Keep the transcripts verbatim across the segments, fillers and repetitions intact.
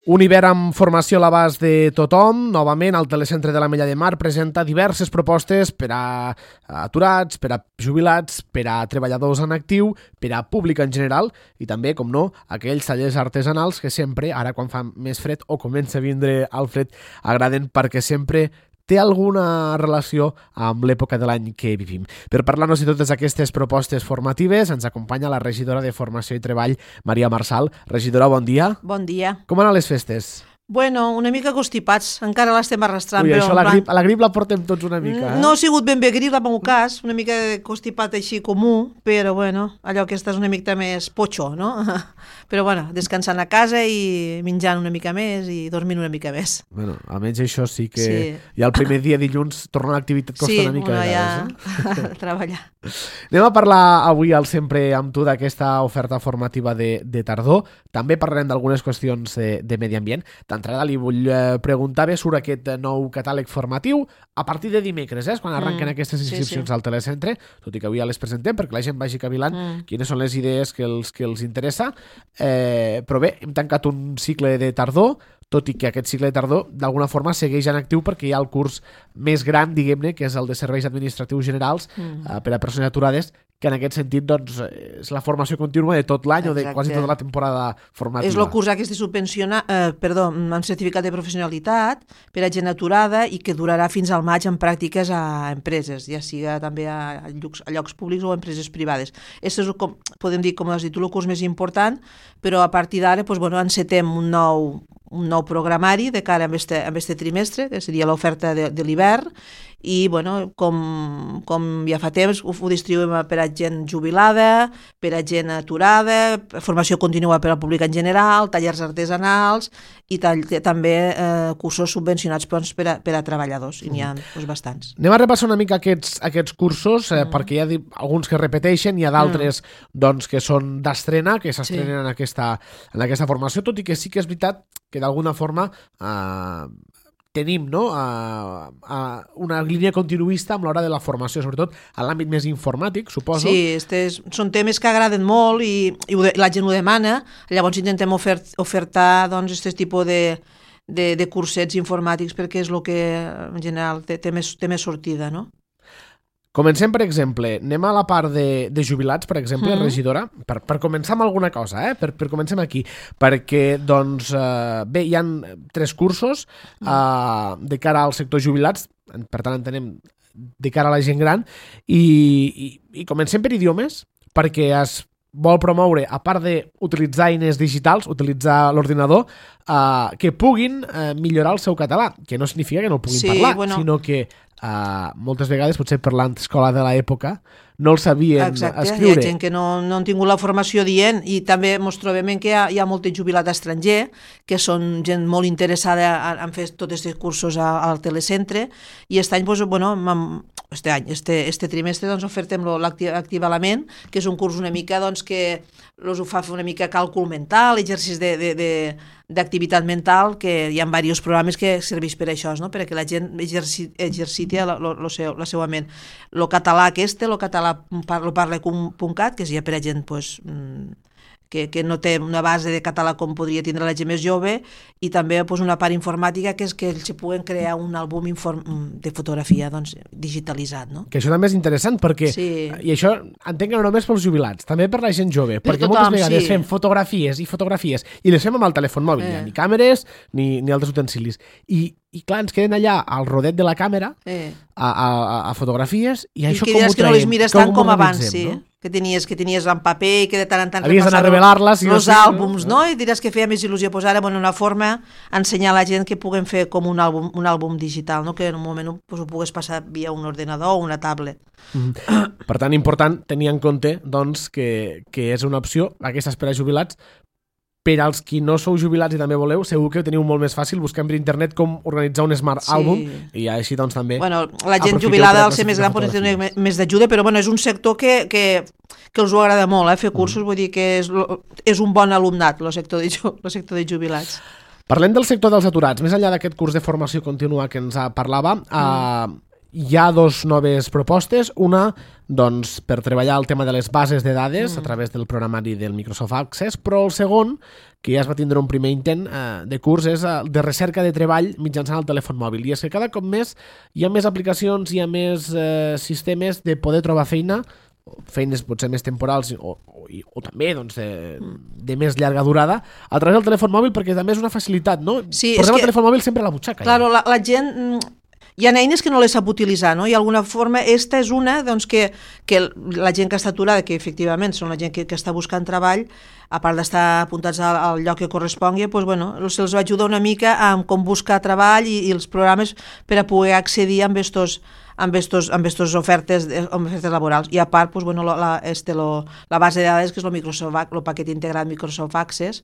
Un hivern amb formació a l'abast de tothom. Novament, el Telecentre de l'Ametlla de Mar presenta diverses propostes per a aturats, per a jubilats, per a treballadors en actiu, per a públic en general i també, com no, aquells tallers artesanals que sempre, ara quan fa més fred o comença a vindre el fred, agraden perquè sempre té alguna relació amb l'època de l'any que vivim. Per parlar-nos de totes aquestes propostes formatives ens acompanya la regidora de Formació i Treball, Maria Marçal. Regidora, bon dia. Bon dia. Com han les festes? Bueno, una mica constipats, encara l'estem arrastrant. Ui, però això, la grip, a la grip la portem tots una mica, eh? No ha sigut ben bé grip, en el meu cas, una mica constipat així comú, però bueno, allò que estàs una mica més potxo, no? Però bueno, descansant a casa i menjant una mica més i dormint una mica més. Bueno, almenys això sí que Sí. ja el primer dia dilluns tornar a l'activitat costa Sí, una mica. una de ja vegades, eh? a treballar. Anem a parlar avui al Sempre amb tu d'aquesta oferta formativa de, de tardor. També parlarem d'algunes qüestions de, de medi ambient. D'entrada li vull eh, preguntar bé sobre aquest nou catàleg formatiu a partir de dimecres, eh, quan arrenquen Mm, aquestes sí, inscripcions sí. al Telecentre, tot i que avui ja les presentem perquè la gent vagi cavilant Mm. quines són les idees que els, que els interessa. Eh, però bé, hem tancat un cicle de tardor, tot i que aquest cicle de tardor d'alguna forma segueix en actiu perquè hi ha el curs més gran, diguem-ne, que és el de Serveis Administratius Generals Mm. eh, per a persones aturades, que en aquest sentit doncs, és la formació contínua de tot l'any o de Exacte. quasi tota la temporada formativa. És el curs aquest de subvencionar, eh, perdó, amb certificat de professionalitat per a gent aturada i que durarà fins al maig en pràctiques a empreses, ja siga també a llocs, a llocs públics o a empreses privades. Aquest és, com, podem dir, com has dit tu, el curs més important, però a partir d'ara doncs, bueno, encetem un nou, un nou programari de cara a este, a este trimestre, que seria l'oferta de, de l'hivern, i bueno, com, com ja fa temps ho, ho distribuïm per a gent jubilada, per a gent aturada, formació contínua per al públic en general, tallers artesanals i tall, també eh, cursos subvencionats doncs, per, a, per a treballadors, i n'hi ha doncs, bastants. Anem a repassar una mica aquests, aquests cursos, eh, mm. perquè hi ha di- alguns que repeteixen, hi ha d'altres mm. doncs, que són d'estrena, que s'estrenen sí. en, aquesta, en aquesta formació, tot i que sí que és veritat que d'alguna forma eh, tenim no, a, a una línia continuista amb l'hora de la formació, sobretot a l'àmbit més informàtic, suposo. Sí, estes són temes que agraden molt i, i ho de, la gent ho demana, llavors intentem ofert, ofertar doncs, aquest tipus de, de, de cursets informàtics perquè és el que en general té, té, més, té més sortida, no? Comencem, per exemple, anem a la part de, de jubilats, per exemple, Mm. regidora, per, per començar amb alguna cosa, eh? per, per comencem aquí, perquè, doncs, eh, bé, hi ha tres cursos eh, de cara al sector jubilats, per tant entenem de cara a la gent gran, i, i, i comencem per idiomes, perquè es vol promoure, a part d'utilitzar eines digitals, utilitzar l'ordinador, eh, que puguin eh, millorar el seu català, que no significa que no el puguin Sí, parlar, bueno. sinó que Uh, moltes vegades, potser per l'escola de l'època, no el sabien Exacte, escriure. hi ha gent que no, no han tingut la formació dient i també ens trobem en que hi ha, hi ha molt jubilat estranger que són gent molt interessada en, en fer tots aquests cursos a, al telecentre i aquest any, doncs, bueno, mam, este any, este, este trimestre doncs, ofertem l'Activalament, que és un curs una mica doncs, que els ho fa fer una mica càlcul mental, exercicis de, de, de, d'activitat mental, que hi ha diversos programes que serveix per això, no? Perquè la gent exerciti, exerciti la, la, la, seu, la seva ment. El català aquest, el català parlo parla punt cat, que és ja per a gent pues, que, que no té una base de català com podria tindre la gent més jove, i també pues, una part informàtica que és que ells puguen crear un àlbum inform, de fotografia doncs, digitalitzat. No? Que això també és interessant perquè, Sí. i això entenc que no només pels jubilats, també per la gent jove, Per perquè tothom, moltes vegades sí. fem fotografies i fotografies i les fem amb el telèfon mòbil, Eh. eh. ni càmeres ni, ni altres utensilis. I, I clar, ens queden allà al rodet de la càmera Eh. a, a, a fotografies i, I això que com ho diràs que no traiem? les mires Com tant ho com abans, organitzem, sí. no? Que tenies, que tenies en paper i que de tant en tant Havies d'anar a revelar-les, sí o els sí, no? àlbums, no? I diràs que feia més il·lusió posar en una forma ensenyar a la gent que puguem fer com un àlbum, un àlbum digital, no? Que en un moment ho, pues, ho pugues passar via un ordenador o una tablet. Mm. Per tant, important tenir en compte doncs, que, que és una opció, aquestes per a jubilats. Per als qui no sou jubilats i també voleu, segur que ho teniu molt més fàcil buscant per internet com organitzar un Smart Sí. Album i així doncs també Bueno, la gent aprofiteu jubilada per al ser més gran pot tenir fotografies. més d'ajuda, però bueno, és un sector que, que, que els ho agrada molt, eh? Fer cursos, vull dir que és, lo- és un bon alumnat, el sector de, ju- lo sector de jubilats. Parlem del sector dels aturats. Més enllà d'aquest curs de formació contínua que ens parlava, mm. eh, hi ha dos noves propostes. Una, doncs, per treballar el tema de les bases de dades mm. a través del programari del Microsoft Access, però el segon, que ja es va tindre un primer intent eh, de curs, és eh, de recerca de treball mitjançant el telèfon mòbil. I és que cada cop més hi ha més aplicacions, hi ha més eh, sistemes de poder trobar feina, feines potser més temporals o, o, o també doncs, de, de més llarga durada a través del telèfon mòbil, perquè també és una facilitat, no? Sí, Posem que, el telèfon mòbil sempre a la butxaca. Claro, ja. la, la gent... Hi ha eines que no les sap utilitzar, no? I d'alguna forma, esta és una doncs, que, que la gent que està aturada, que efectivament són la gent que, que està buscant treball, a part d'estar apuntats al, al lloc que correspongui, doncs, bueno, se'ls va ajudar una mica amb com buscar treball i, i els programes per a poder accedir amb estos amb estos, amb estos ofertes, amb ofertes laborals. I a part, pues, bueno, la, este, lo, la base de dades, que és el Microsoft, el paquet integrat Microsoft Access,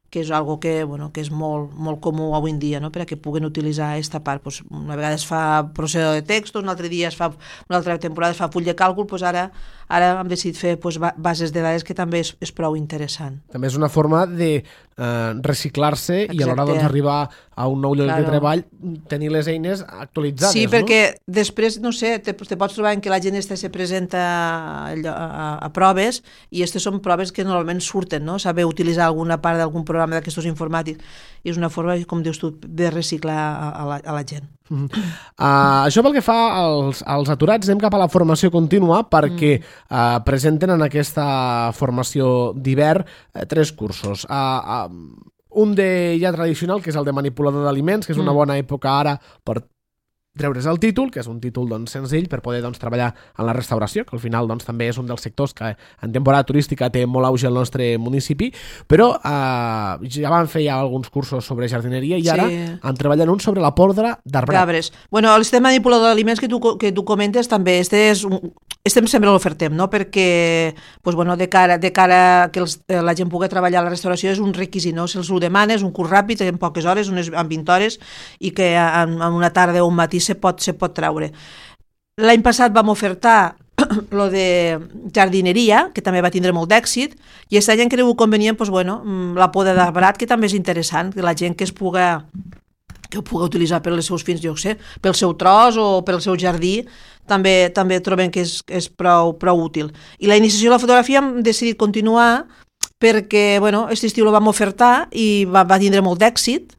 que és algo que, bueno, que és molt, molt comú avui en dia, no? Per a que puguen utilitzar aquesta part. Pues, una vegada es fa processador de textos, una altra dia es fa, una altra temporada es fa full de càlcul, pues ara, ara hem decidit fer pues, bases de dades, que també és, és prou interessant. També és una forma de eh, reciclar-se. Exacte. I a l'hora doncs, d'arribar a un nou lloc claro. de treball, tenir les eines actualitzades. Sí, perquè no? després, no sé, te, te pots trobar en que la gent esta se presenta a, a, a proves, i aquestes són proves que normalment surten, no? Saber utilitzar alguna part d'algun programa d'aquests informàtics, i és una forma, com dius tu, de reciclar a, a, la, a la gent. Mm. Uh, això pel que fa als, als aturats, anem cap a la formació contínua, perquè mm. uh, presenten en aquesta formació d'hivern uh, tres cursos. Uh, uh, un de ja tradicional, que és el de manipulador d'aliments, que és una bona època ara per treure's el títol, que és un títol doncs, senzill per poder doncs, treballar en la restauració, que al final doncs, també és un dels sectors que en temporada turística té molt auge al nostre municipi, però eh, ja van fer ja alguns cursos sobre jardineria i sí. ara han treballat un sobre la podra d'arbrat. Cabres. Bueno, el sistema manipulador d'aliments que tu, que tu comentes també, este és un, este sempre l'ofertem, no? Perquè pues, bueno, de cara, de cara que els, la gent pugui treballar a la restauració és un requisit, no? Se'ls ho demana, és un curs ràpid, en poques hores, unes, en vint hores, i que en, en una tarda o un matí se pot, se pot treure. L'any passat vam ofertar lo de jardineria, que també va tindre molt d'èxit, i aquest any hem cregut convenient pues, bueno, la poda d'arbrat, que també és interessant, que la gent que es puga que ho pugui utilitzar per als seus fins, jo sé, pel seu tros o pel seu jardí, també també trobem que és, és prou, prou útil. I la iniciació de la fotografia hem decidit continuar perquè, bueno, aquest estiu lo vam ofertar i va, va tindre molt d'èxit,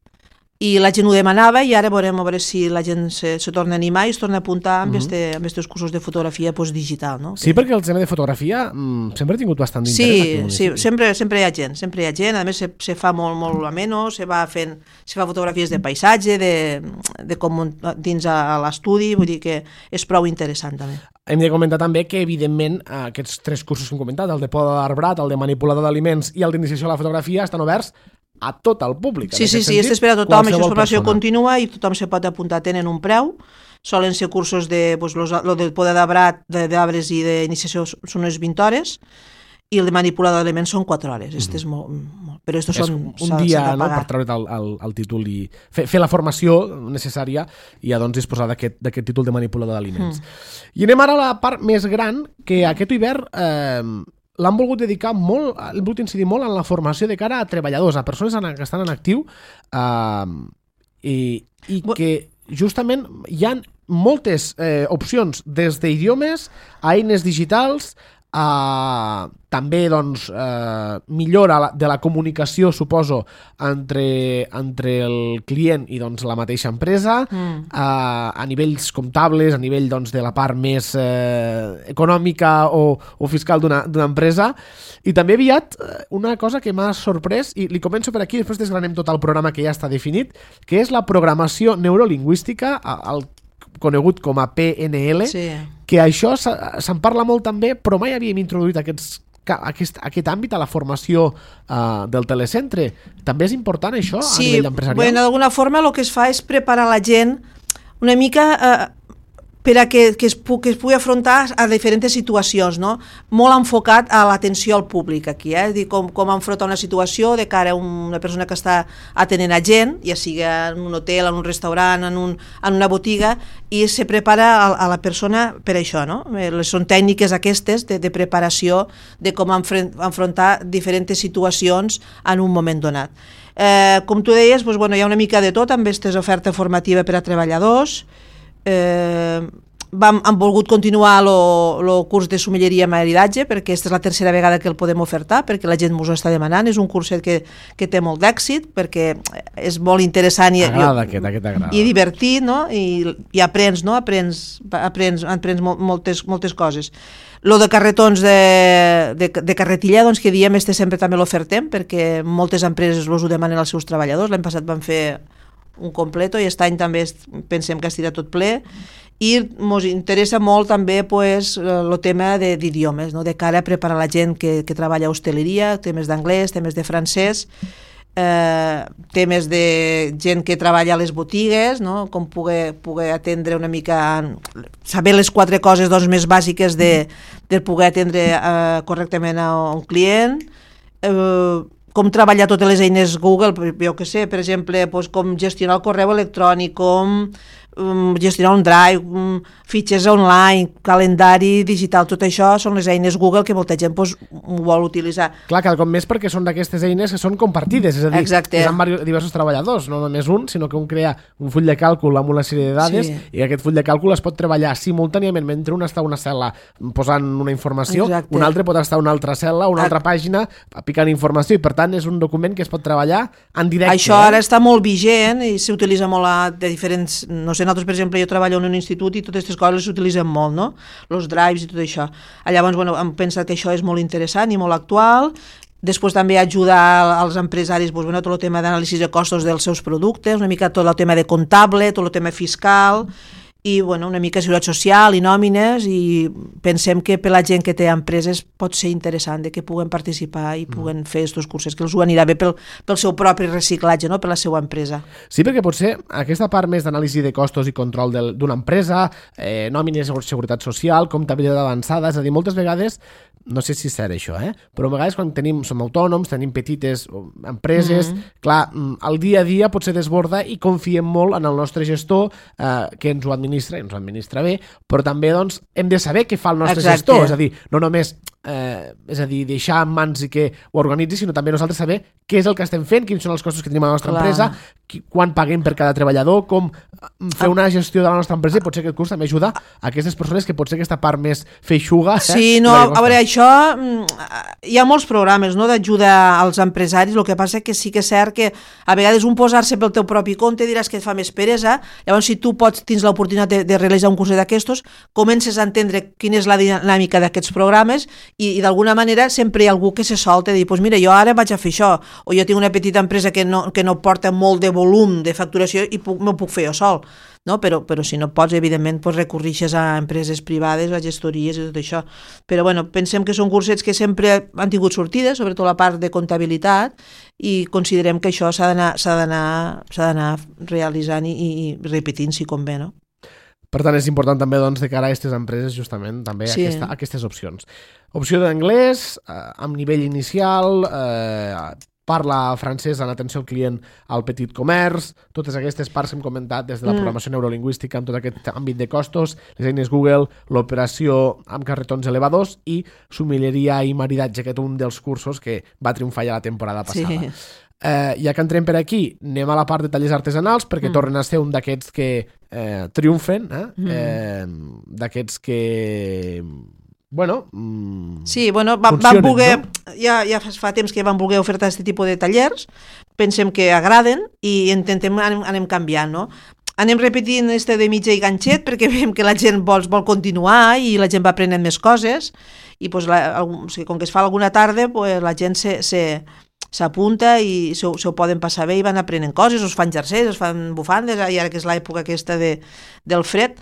i la gent ho demanava, i ara veurem a veure si la gent se, se torna a animar i es torna a apuntar amb aquests uh-huh. cursos de fotografia pues, digital. No? Sí, perquè el tema de fotografia mm, sempre ha tingut bastant d'interès. Sí, sí, sempre, sempre hi ha gent, sempre hi ha gent, a més se, se fa molt, molt ameno, se va fent, se fa fotografies de paisatge, de, de com dins a, a l'estudi, vull dir que és prou interessant també. Hem de comentar també que, evidentment, aquests tres cursos que hem comentat, el de poda d'arbrat, el de manipulador d'aliments i el d'iniciació a la fotografia, estan oberts a tot el públic. Sí, sí, sí, és per a tothom, això és formació contínua i tothom se pot apuntar, tenen un preu, solen ser cursos de, pues, los, lo de poda d'arbrat, d'arbres i d'iniciació són unes vint hores, i el de manipulador d'aliments són quatre hores. Mm-hmm. Este és molt, molt, però estos és són, un dia de no, per treure't el, el, el títol i fer, fer la formació necessària i ja doncs, disposar d'aquest títol de manipulador d'aliments. Mm. I anem ara a la part més gran, que aquest hivern eh, l'han volgut dedicar molt, han volgut incidir molt en la formació de cara a treballadors, a persones que estan en actiu eh, i, i que justament hi ha moltes eh, opcions, des d'idiomes a eines digitals, a també doncs, eh, millora de la comunicació, suposo, entre, entre el client i doncs, la mateixa empresa, mm. a, a nivells comptables, a nivell doncs, de la part més eh, econòmica o, o fiscal d'una empresa. I també aviat una cosa que m'ha sorprès, i li començo per aquí, després desgranem tot el programa que ja està definit, que és la programació neurolingüística, el conegut com a P N L, sí. que això se'n parla molt també, però mai havíem introduït aquests Aquest, aquest àmbit a la formació uh, del telecentre. També és important això sí, a nivell empresarial? Sí, bueno, d'alguna forma el que es fa és preparar la gent una mica uh, per a que, que, es pu que es pugui afrontar a diferents situacions, no? Molt enfocat a l'atenció al públic aquí, eh? Dir com, com enfrontar una situació de cara a una persona que està atenent a gent, ja sigui en un hotel, en un restaurant, en, un, en una botiga, i se prepara a, a la persona per això, no? Són tècniques aquestes de, de preparació de com enfrontar diferents situacions en un moment donat. Eh, com tu deies, doncs, bueno, hi ha una mica de tot amb aquesta oferta formativa per a treballadors. Eh, vam, hem volgut continuar el curs de sommeleria i maridatge, perquè aquesta és la tercera vegada que el podem ofertar, perquè la gent ens ho està demanant. És un curset que, que té molt d'èxit, perquè és molt interessant i, agrada, aquest, aquest agrada. i divertit, no? I, i aprens, no? Aprens, aprens, aprens moltes, moltes coses. Lo de carretons de, de, de carretilla, doncs, que diem, este sempre també l'ofertem, perquè moltes empreses els ho demanen als seus treballadors. L'any passat van fer un completo i aquest any també pensem que estirà tot ple, i ens interessa molt també pues, el tema d'idiomes, no? De cara a preparar la gent que, que treballa a hosteleria, temes d'anglès, temes de francès, eh, temes de gent que treballa a les botigues, no? Com poder, poder atendre una mica, saber les quatre coses doncs, més bàsiques de, de poder atendre eh, correctament a un client, eh, com treballar totes les eines Google, jo que sé, per exemple, doncs, com gestionar el correu electrònic, com um, gestionar un drive, um, fitxers online, calendari digital, tot això són les eines Google que molta gent doncs, ho vol utilitzar. Clar, cada cop més perquè són d'aquestes eines que són compartides, és a dir, exacte, que són diversos treballadors, no només un, sinó que un crea un full de càlcul amb una sèrie de dades, sí, i aquest full de càlcul es pot treballar simultàniament mentre un està a una cel·la posant una informació, exacte, un altre pot estar a una altra cel·la, una altra pàgina picant informació, i per tant és un document que es pot treballar en directe. Això ara eh? està molt vigent i s'utilitza molt a, de diferents, no sé, nosaltres per exemple jo treballo en un institut i totes aquestes coses s'utilitzen molt, no? Els drives i tot això. Llavors, bueno, em pensa que això és molt interessant i molt actual. Després també ajudar als empresaris doncs, bueno, tot el tema d'anàlisi de costos dels seus productes, una mica tot el tema de comptable, tot el tema fiscal, i bueno, una mica seguretat social i nòmines, i pensem que per la gent que té empreses pot ser interessant de que puguen participar i puguen fer aquests cursos, que els ho anirà bé pel, pel seu propi reciclatge, no? Per la seva empresa. Sí, perquè potser aquesta part més d'anàlisi de costos i control d'una empresa, eh, nòmines, seguretat social, comptabilitat avançada, és a dir, moltes vegades, no sé si és cert això, eh? però a vegades quan tenim, som autònoms, tenim petites empreses, mm-hmm. clar, el dia a dia potser desborda i confiem molt en el nostre gestor eh, que ens ho administra, i ens ho administra bé, però també doncs, hem de saber què fa el nostre exacte. Gestor, és a dir, no només eh, és a dir, deixar en mans i que ho organitzi, sinó també nosaltres saber què és el que estem fent, quins són els costos que tenim a la nostra clar. Empresa, qui, quan paguem per cada treballador, com fer una gestió de la nostra empresa, i potser aquest curs també ajuda a aquestes persones que potser aquesta part més feixuga... Eh, sí, no, a veure, això hi ha molts programes no, d'ajuda als empresaris, el que passa que sí que és cert que a vegades un posar-se pel teu propi compte diràs que et fa més peresa, llavors si tu pots, tens l'oportunitat de, de realitzar un curs d'aquestos, comences a entendre quina és la dinàmica d'aquests programes i, i d'alguna manera sempre hi ha algú que se solta i dir, pues mira, jo ara vaig a fer això, o jo tinc una petita empresa que no, que no porta molt de volum de facturació i puc, m'ho puc fer jo sol. No? Però, però si no pots, evidentment, pues, recorrixes a empreses privades, a gestories i tot això. Però bueno, pensem que són cursets que sempre han tingut sortides, sobretot la part de comptabilitat, i considerem que això s'ha d'anar s'ha d'anar s'ha d'anar realitzant i, i repetint si convé, no? Per tant, és important també doncs, de cara a aquestes empreses justament també sí. aquesta, aquestes opcions. Opció d'anglès, eh, amb nivell inicial, eh, parla francès en atenció al client al petit comerç, totes aquestes parts que hem comentat des de la programació mm. neurolingüística amb tot aquest àmbit de costos, les eines Google, l'operació amb carretons elevadors i sommelleria i maridatge, que és un dels cursos que va triomfar ja la temporada passada. Sí. Eh, ja que entrem per aquí, anem a la part de tallers artesanals perquè mm. tornen a ser un d'aquests que eh, triomfen, eh? Mm. eh, d'aquests que... Bueno, mmm, sí, bueno, va, van voler, no? ja, ja fa temps que van voler ofertar aquest tipus de tallers, pensem que agraden i intentem anem, anem canviant, no? Anem repetint este de mitja i ganxet perquè veiem que la gent vol, vol continuar i la gent va aprenent més coses i pues, la, o sigui, com que es fa alguna tarda pues, la gent se, se, s'apunta i se, se ho poden passar bé i van aprenent coses, es fan jerseis, es fan bufandes, i ara que és l'època aquesta de, del fred.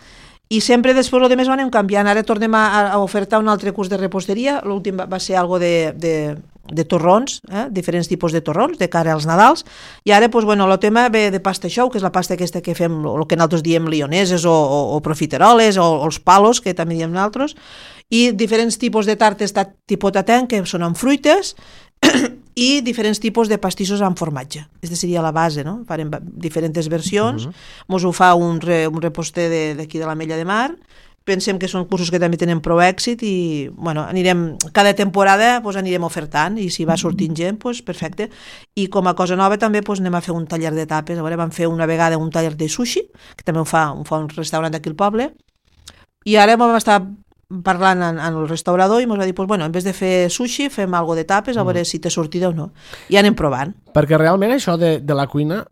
I sempre després el més ho anem canviant. Ara tornem a, a ofertar un altre curs de reposteria. L'últim va, va ser algo de, de, de torrons, eh? diferents tipus de torrons de cara als Nadals. I ara pues, bueno, el tema ve de pasta xou, que és la pasta aquesta que fem, el que nosaltres diem lioneses o, o, o profiteroles o, o els palos, que també diem nosaltres, i diferents tipus de tartes tipus tatin, que són amb fruites, i diferents tipus de pastissos amb formatge. Aquesta seria la base, no? Farem diferents versions, uh-huh. mos ho fa un, re, un reposter d'aquí de, de l'Ametlla de Mar, pensem que són cursos que també tenen prou èxit i bueno, anirem, cada temporada pues, anirem ofertant i si va sortint gent, pues, perfecte. I com a cosa nova també pues, anem a fer un taller de tapes. A veure, vam fer una vegada un taller de sushi, que també ho fa, ho fa un restaurant d'aquí al poble, I ara vam estar parlant amb el restaurador i ens va dir, pues, bueno, en vez de fer sushi, fem algo de tapes, a veure mm. si té sortida o no. I anem provant. Perquè realment això de, de la cuina,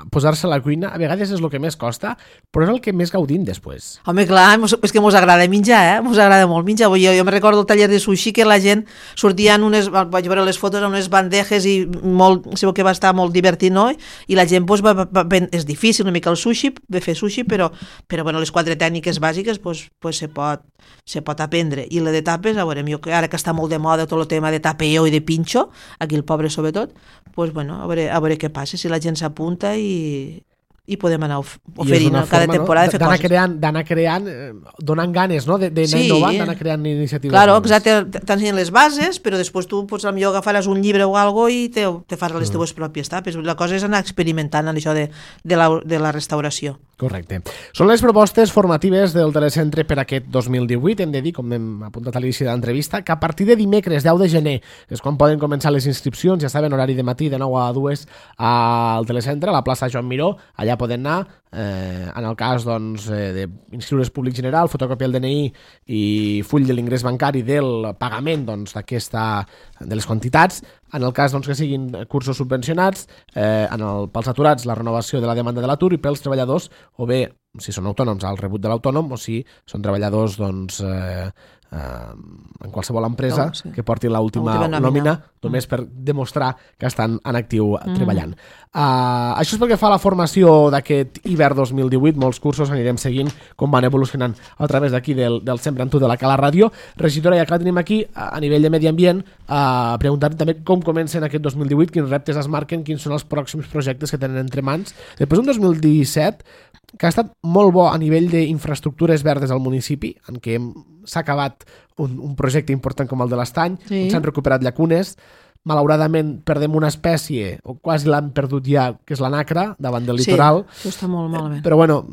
posar-se a la cuina, a vegades és el que més costa, però és el que més gaudim després. Home, clar, és que mos agrada menjar, eh? Mos agrada molt menjar. Jo, jo me recordo el taller de sushi que la gent sortia en unes, vaig veure les fotos, en unes bandejes i molt, sabeu que va estar molt divertit, no? I la gent, pues, va, va, va, és difícil una mica el sushi, de fer sushi, però, però bueno, les quatre tècniques bàsiques, pues, pues se pot, se pot aprendre. I la de tapes, a veure, jo, ara que està molt de moda tot el tema de tapeo i de pinxo, aquí el pobre sobretot, pues, bueno, a veure, a veure què passa, si la gent s'apunta i, i podem anar oferint cada temporada, no? Fer d'anar coses. Creant, d'anar creant, eh, donant ganes, no? D'anar sí. innovant, d'anar creant iniciatives. Claro, exacte, t'ensenyen les bases, però després tu pots, potser agafaràs un llibre o algo i te, te fas les teves pròpies tapes. La cosa és anar experimentant en això de, de, la, de la restauració. Correcte. Són les propostes formatives del Telecentre per aquest dos mil divuit. Hem de dir, com hem apuntat a l'inici de l'entrevista, que a partir de dimecres deu de gener és quan poden començar les inscripcions. Ja saben, horari de matí de nou a dues al Telecentre, a la plaça Joan Miró. Allà poden anar. Eh, en el cas doncs, eh, d'inscriure's públic general, fotocòpia del D N I i full de l'ingrés bancari del pagament doncs, d'aquesta de les quantitats. En el cas doncs, que siguin cursos subvencionats, eh, en el, pels aturats la renovació de la demanda de l'atur i pels treballadors, o bé si són autònoms al rebut de l'autònom o si són treballadors doncs, eh, eh, en qualsevol empresa no, sí. que porti l'última nòmina, nòmina només mm. per demostrar que estan en actiu mm. treballant. Uh, això és pel que fa a la formació d'aquest hivern dos mil divuit. Molts cursos anirem seguint com van evolucionant a través d'aquí del, del Sempre amb tu de la Cala Ràdio. Regidora, ja que la tenim aquí, a nivell de medi ambient, uh, preguntar també com comencen aquest dos mil divuit, quins reptes es marquen, quins són els pròxims projectes que tenen entre mans. Després un dos mil disset que ha estat molt bo a nivell d'infraestructures verdes al municipi, en què s'ha acabat un, un projecte important com el de l'Estany, sí. on s'han recuperat llacunes. Malauradament perdem una espècie, o quasi l'han perdut ja, que és la nacra, davant del litoral. Sí, això està molt malament. Però bueno,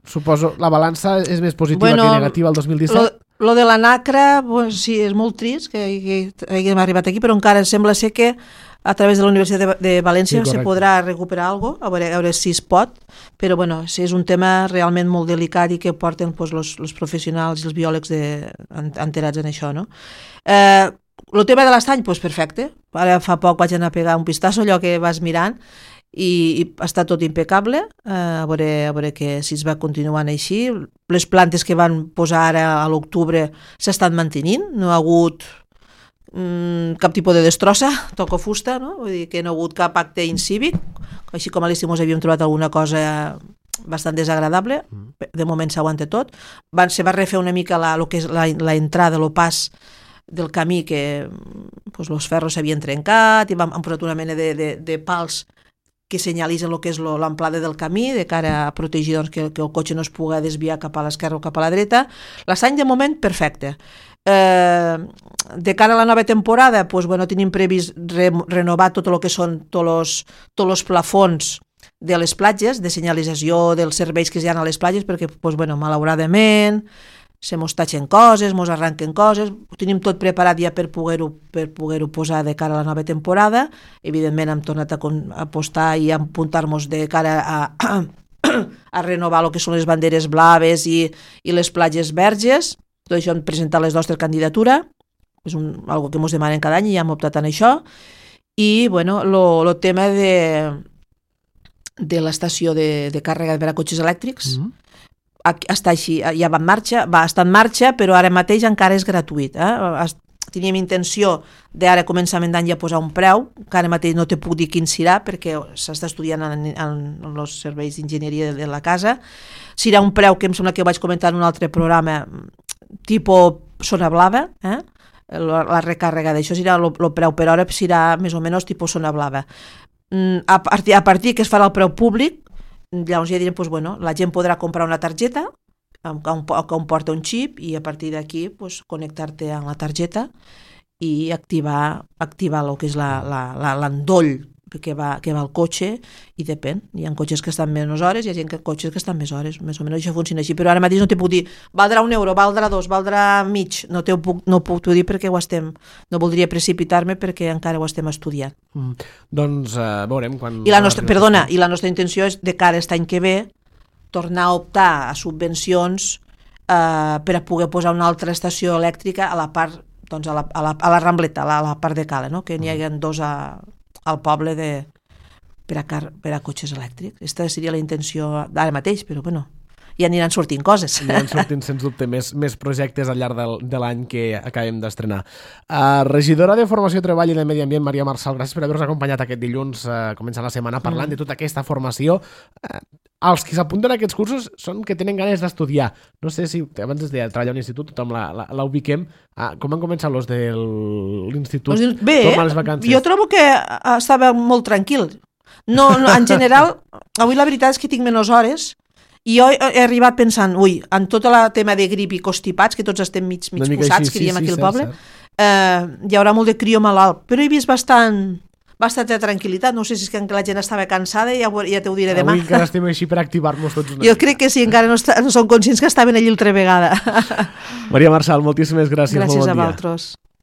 suposo la balança és més positiva bueno, que negativa el dos mil disset. Lo, lo de la nacra, pues, sí, és molt trist que, que haguem arribat aquí, però encara sembla ser que a través de la Universitat de, de València sí, se podrà recuperar alguna cosa, a veure, a veure si es pot, però bueno, sí, és un tema realment molt delicat i que porten pues, los, los professionals i els biòlegs de, enterats en això, no? Eh, el tema de l'estany, doncs perfecte. Ara fa poc vaig anar a pegar un pistasso, allò que vas mirant, i, i està tot impecable. Eh, a, veure, a veure que si es va continuant així. Les plantes que van posar ara a l'octubre s'estan mantenint, no ha hagut mm, cap tipus de destrossa, toco fusta, no? Vull dir que no ha hagut cap acte incívic, així com a l'estiu ens havíem trobat alguna cosa bastant desagradable, de moment s'aguanta tot. Van, se va refer una mica la, lo que és la, la entrada, el pas del camí, que pues, los ferros s'havien trencat i han posat una mena de, de, de pals que senyalitzen el que és l'amplada del camí, de cara a protegir doncs, que, que el cotxe no es pugui desviar cap a l'esquerra o cap a la dreta. L'estany de moment perfecte. Eh, de cara a la nova temporada pues, bueno, tenim previst re, renovar tot el que són tots els plafons de les platges, de senyalització dels serveis que hi ha a les platges, perquè pues, bueno, malauradament se mos tatxen coses, mos arranquen coses, ho tenim tot preparat ja per poder-ho per poder-ho posar de cara a la nova temporada. Evidentment hem tornat a, a apostar i a apuntar-nos de cara a, a, a renovar el que són les banderes blaves i, i les platges verges. Tot això hem presentat les nostres candidatures, és un, algo que ens demanen cada any i ja hem optat en això. I bueno, el tema de, de l'estació de, de càrrega per a cotxes elèctrics, mm-hmm. està així, ja va en marxa, va estar en marxa, però ara mateix encara és gratuït. Eh? Teníem intenció d'ara començament d'any ja posar un preu, que ara mateix no te puc dir quin serà, perquè s'està estudiant en, en, en els serveis d'enginyeria de, de la casa. Serà un preu que em sembla que ho vaig comentar en un altre programa, tipus zona blava, eh? la, la recàrrega d'això serà el preu per hora, serà més o menys tipus zona blava. A partir, a partir que es farà el preu públic, llavors ja direm, pues, bueno, la gent podrà comprar una targeta que comporta un xip i a partir d'aquí pues, connectar-te amb la targeta i activar, activar el que és l'endoll que va, que va al cotxe, i depèn. Hi ha cotxes que estan menys hores, hi ha gent que cotxes que estan més hores, més o menys això funciona així, però ara mateix no te puc dir valdrà un euro, valdrà dos, valdrà mig, no te ho puc, no ho puc dir perquè ho estem, no voldria precipitar-me perquè encara ho estem estudiant. Mm. Doncs uh, veurem quan... I la nostra, perdona, i la nostra intenció és de cara a aquest any que ve tornar a optar a subvencions eh, per a poder posar una altra estació elèctrica a la part, doncs a la, a la, a la Rambleta, a la, a la part de Cala, no? Que n'hi hagi dos a, al poble de, per, a car, per a cotxes elèctrics. Aquesta seria la intenció d'ara mateix, però bueno, ja aniran sortint coses. Aniran sortint, sens dubte, més, més projectes al llarg del, de l'any que acabem d'estrenar. Uh, regidora de Formació, Treball i de Medi Ambient, Maria Marçal, gràcies per haver-nos acompanyat aquest dilluns, uh, començant la setmana, parlant mm. de tota aquesta formació. Uh, els que s'apunten a aquests cursos són que tenen ganes d'estudiar. No sé si, abans es deia, treballar a un institut, tothom la, la, la ubiquem. Uh, com han començat els de l'institut? Bé, jo trobo que estava molt tranquil. No, no, en general, avui la veritat és que tinc menys hores. I jo he arribat pensant, ui, en tot el tema de grip i constipats, que tots estem mig, mig posats, així, que diem sí, aquí sí, al poble, eh, hi haurà molt de crió malalt, però he vist bastant, bastanta tranquil·litat. No sé si és que la gent estava cansada i ja, ja t'ho diré demà. Avui encara estem així per activar-nos tots una Jo crec que sí, encara no, està, no som conscients que estaven allí altra vegada. Maria Marçal, moltíssimes gràcies. Gràcies bon a dia. vosaltres.